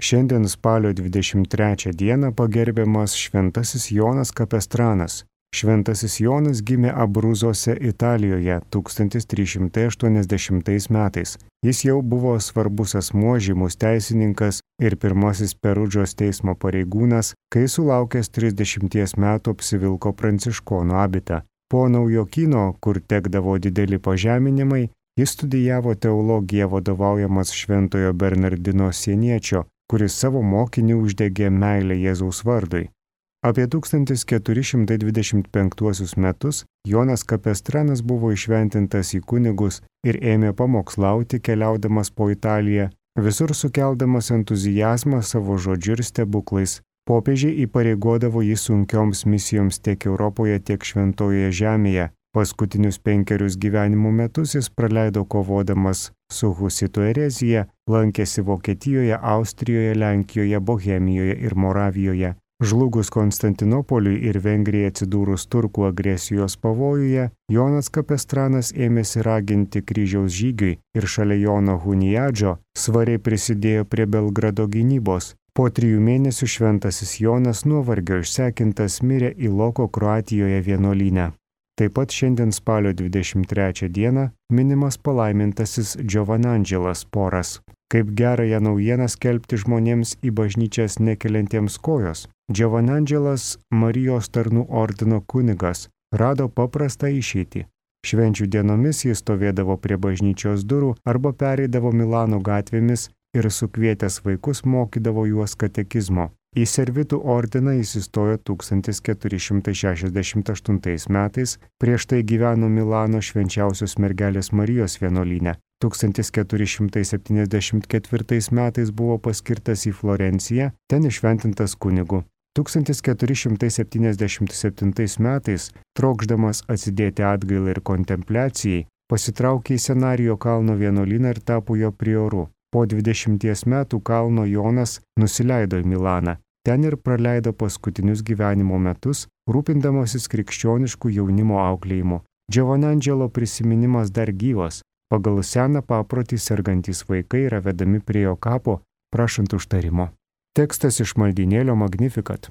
Šiandien spalio 23 dieną pagerbiamas šventasis Jonas Kapestranas. Šventasis Jonas gimė Abruzose, Italijoje 1380 metais. Jis jau buvo svarbus asmuo, žymus teisininkas ir pirmasis Perudžos teismo pareigūnas, kai sulaukęs 30 metų apsivilko pranciškonų abitą. Po Naujokyno, kur tekdavo dideli pažeminimai, jis studijavo teologiją vadovaujamas šventojo Bernardino Sieniečio, kuris savo mokinį uždegė meilę Jėzaus vardui. Apie 1425 metus Jonas Kapestranas buvo įšventintas į kunigus ir ėmė pamokslauti keliaudamas po Italiją, visur sukeldamas entuzijazmą savo žodžiu ir stebuklais. Popiežiai įpareigodavo jį sunkioms misijoms tiek Europoje, tiek Šventojoje žemėje. Paskutinius 5 gyvenimo metus jis praleido kovodamas su husitų erezija, lankėsi Vokietijoje, Austrijoje, Lenkijoje, Bohemijoje ir Moravijoje. Žlugus Konstantinopoliui ir Vengrijai atsidūrus turkų agresijos pavojuje, Jonas Kapestranas ėmėsi raginti kryžiaus žygiui ir šalia Jono Huniadžio svariai prisidėjo prie Belgrado gynybos. Po 3 mėnesių šventasis Jonas nuovargio išsekintas mirė Iloko Kroatijoje vienuolyne. Taip pat šiandien spalio 23 dieną minimas palaimintasis Giovanangelas Poras. Kaip gerąją naujieną skelbti žmonėms į bažnyčias nekeliantiems kojos. Giovanangelas, Marijos tarnų ordino kunigas, rado paprastą išeitį. Švenčių dienomis jis stovėdavo prie bažnyčios durų arba pereidavo Milano gatvėmis ir sukvietęs vaikus mokydavo juos katekizmo. Į servitų ordiną jis įstojo 1468 metais, prieš tai gyveno Milano švenčiausios mergelės Marijos vienuolyne. 1474 metais buvo paskirtas į Florenciją, ten įšventintas kunigu. 1477 metais, trokšdamas atsidėti atgailai ir kontempliacijai, pasitraukė į Senarijo kalno vienuolyną ir tapo jo prioru. Po 20 metų kalno Jonas nusileido į Milaną. Ten ir praleido paskutinius gyvenimo metus, rūpindamasis krikščioniškų jaunimo auklėjimu. Giovanangelo prisiminimas dar gyvas. Pagal seną paprotį sergantys vaikai yra vedami prie jo kapo, prašant užtarimo. Tekstas iš maldynėlio Magnificat.